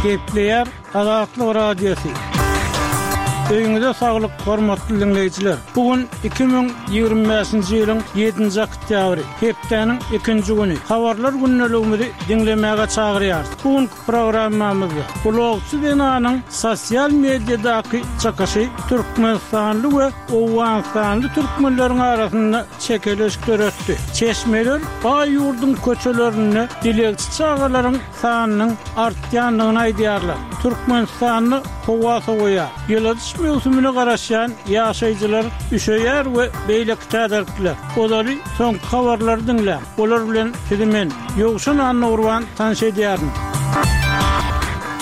Gepleýär Azatlyk Radiosy. Öýüňize saglyk, hormatly diňleýjiler! Bu gün 2025-nji ýylyň ýedinji oktýabry, hepdäniň ikinji güni. Habarlar gündeligimizi diňlemäge çagyrýarys. Bu günki programmamyzda blogçy zenanyň sosial mediadaky çykyşy türkmenistanly we owganystanly türkmenleriň arasynda çekeleşik döretdi. Çeşmeler baý ýurduň köçelerinde dilegçi çagalaryň sanynyň artýandygyny aýdýarlar. Türkmenistanda howa sowaýar. Ýyladyş möwsümine garaşýan ýaşaýjylar üşeýär we beýleki täzelikler. Ozaly soňky habarlary diňläň. Olar bilen sizi men, Ýowşan Annagurban tanyş edýärin.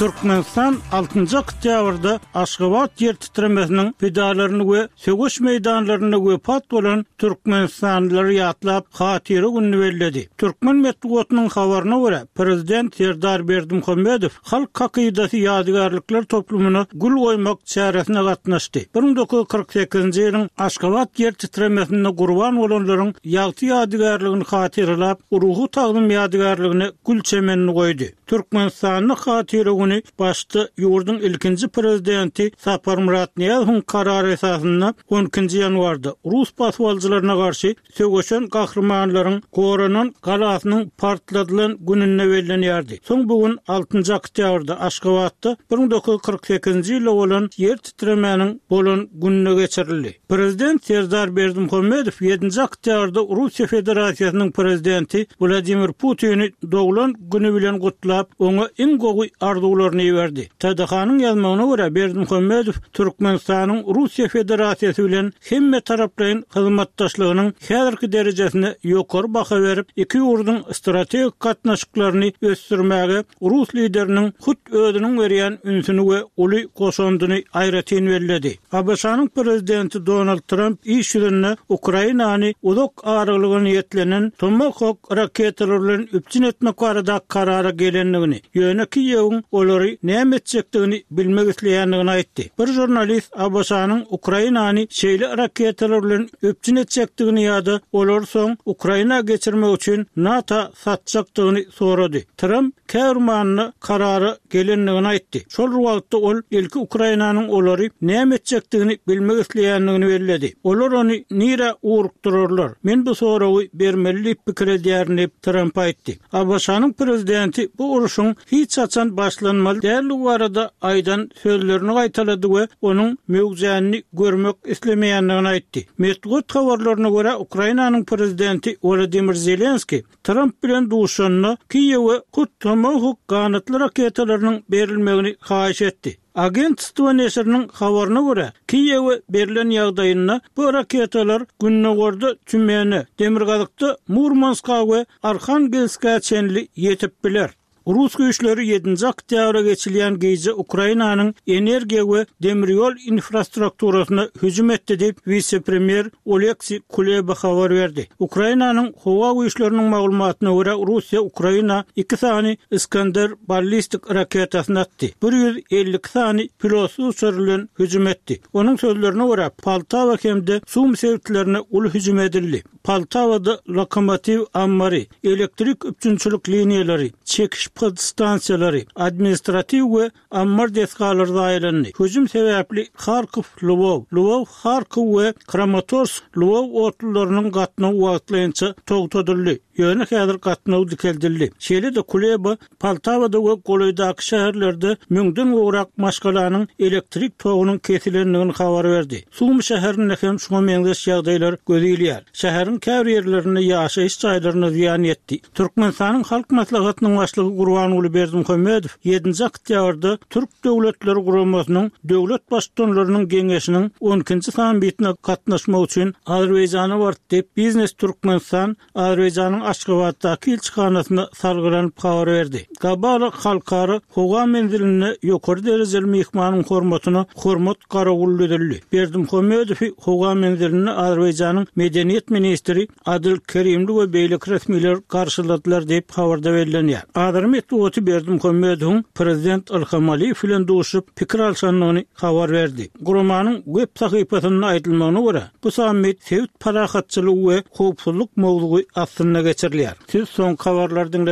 Türkmenistan altynjy oktýabrda Aşgabat ýer titremesiniň pidalaryny we söweş meýdanlarynda wepat bolan türkmenistanlylary ýatlap, Hatyra gününi belledi. Türkmen metbugatynyň habaryna görä, prezident Serdar Berdimuhamedow Halk hakydasy ýadygärlikler toplumyna gül goýmak çäresine gatnaşdy. 1948-nji ýylyň Aşgabat ýer titremesinde gurban bolanlaryň ýagty ýadygärligini hatyralap, ruhy tagzym ýadygärligine gül çemenini goýdy. Türkmenistanda Hatyra güni başda ýurduň ilkinji Prezidenti Saparmyrat Nyýazowyň karary esasynda on ikinji ýanwarda rus basybalyjylaryna garşy söweşen gahrymanlaryň goranan galasynyň partladylan gününde bellenýärdi. Soň bu gün altynjy oktýabrda Aşgabatda 1948-nji ýylda bolan ýer titremäniň bolan gününe geçirildi. Prezident Serdar Berdimuhamedow ýedinji oktýabrda Russiýa Federasiýasynyň Prezidenti Wladimir Putini doglan güni bilen gutlap, oňa iň gowy arzuwlaryny iberdi. TDH-nyň ýazmagyna görä, Berdimuhamedow Türkmenistanyň Russiýa Federasiýasy bilen hemmetaraplaýyn hyzmatdaşlygynyň häzirki derejesine ýokary baha berip, iki ýurduň strategik gatnaşyklaryny ösdürmäge rus lideriniň hut özüniň berýän ünsüni we uly goşandyny aýratyn belledi. ABŞ-nyň prezidenti Donald Tramp iş ýüzünde Ukrainany uzak aralyga niýetlenen Tomahawk raketalary bilen üpjün etmek barada karara gelendigini, ýöne Kiýewiň olary näme etjekdigini bilmek isleýändigini aýtdy. Bir žurnalist ABŞ-nyň Ukrainany şeýle raketalar bilen üpjün etjekdigini ýa-da olary soň Ukraina geçirmek üçin NATO satjakdygyny sorady. Tramp käbir manyda karara gelendigini aýtdy. Şol bir wagtda ol ilki Ukrainanyň olary näme etjekdigini bilmek isleýändigini belledi. Olar ony nirä ugrukdyrarlar? Men bu soragy bermeli diýip pikir edýärin diýip, Tramp aýtdy. ABŞ-nyň prezidenti bu urşuň hiç haçan başlanmaly däldigi barada aýdan sözlerini gaýtalady we onuň möwjänini görmek islemeýändigini aýtdy. Metbugat habarlaryna görä, Ukrainanyň prezidenti Wolodymyr Zelenskiý Tramp bilen duşanda, Kiýewe hut Tomahawk ganatly raketalarynyň berilmegini haýyş etdi. Agentstwo neşiriniň habaryna görä, Kiýewe berlen ýagdaýynda bu raketalar gündogarda Týumene, demirgazykda Murmanska we Arhangelskä çenli ýetip biler. Rus güýçleri ýedinji oktýabra geçilýän gije Ukrainanyň energiýa we demir ýol infrastrukturasyna hüjüm etdi diýip, wise-premýer Oleksiý Kuleba habar berdi. Ukrainanyň howa güýçleriniň maglumatyna görä, Russiýa Ukraina iki sany Iskander ballistik raketasyny atdy, 152 sany pilotsyz uçar bilen hüjüm etdi. Onuň sözlerine görä, Poltawa hem-de Sum sebitlerine uly hüjüm edildi. Poltawada lokomotiw ammary, elektrik üpjünçilik liniýalary, çekiş podstansiýalary, administratiw we ammar desgalary zaýalandy. Hüjüm sebäpli Harkow-Lwow, Lwow-Harkow we Kramatorsk-Lwow otlularynyň gatnawy wagtlaýynça togtadyldy, ýöne häzir gatnaw dikeldildi. Şeýle-de Kuleba Poltawada we golaýdaky şäherlerde müňden gowrak maşgalanyň elektrik togunyň kesilendigini habar berdi. Sum şäherinde hem şuňa meňzeş ýagdaýlar göze ilýär. Şäheriň käbir ýerlerinde ýaşaýyş jaýlaryna zyýan ýetdi. Türkmenistanyň Halk Maslahatynyň Başlygy Gurbanguly Berdimuhamedow ýedinji oktýabrda Türk Döwletleri Guramasynyň Döwlet Baştutanlarynyň Geňeşiniň on ikinji sammitine gatnaşmak üçin Azerbaýjana bardy diýip, Biznes Türkmenistan Azerbaýjanyň Aşgabatdaky ilçihanasyna salgylanyp habar berdi. Gabala halkara howa menzilinde ýokary derejeli myhmanyň hormatyna hormat garawuly düzüldi. Berdimuhamedowy howa menzilinde Azerbaýjanyň medeniýet ministri Adil Kerimli we beýleki resmiler garşyladylar diýip, habarda bellenýär. Azeri metbugaty Berdimuhamedowyň prezident Ilham Aliýew bilen duşup, pikir alşandygyny habar berdi. Guramanyň web sahypasynda aýdylmagyna görä, Bu sammit sebit parahatçylygy we howpsuzlyk mowzugy astynda geçirilýär. Siz soňky habarlary diňlediňiz.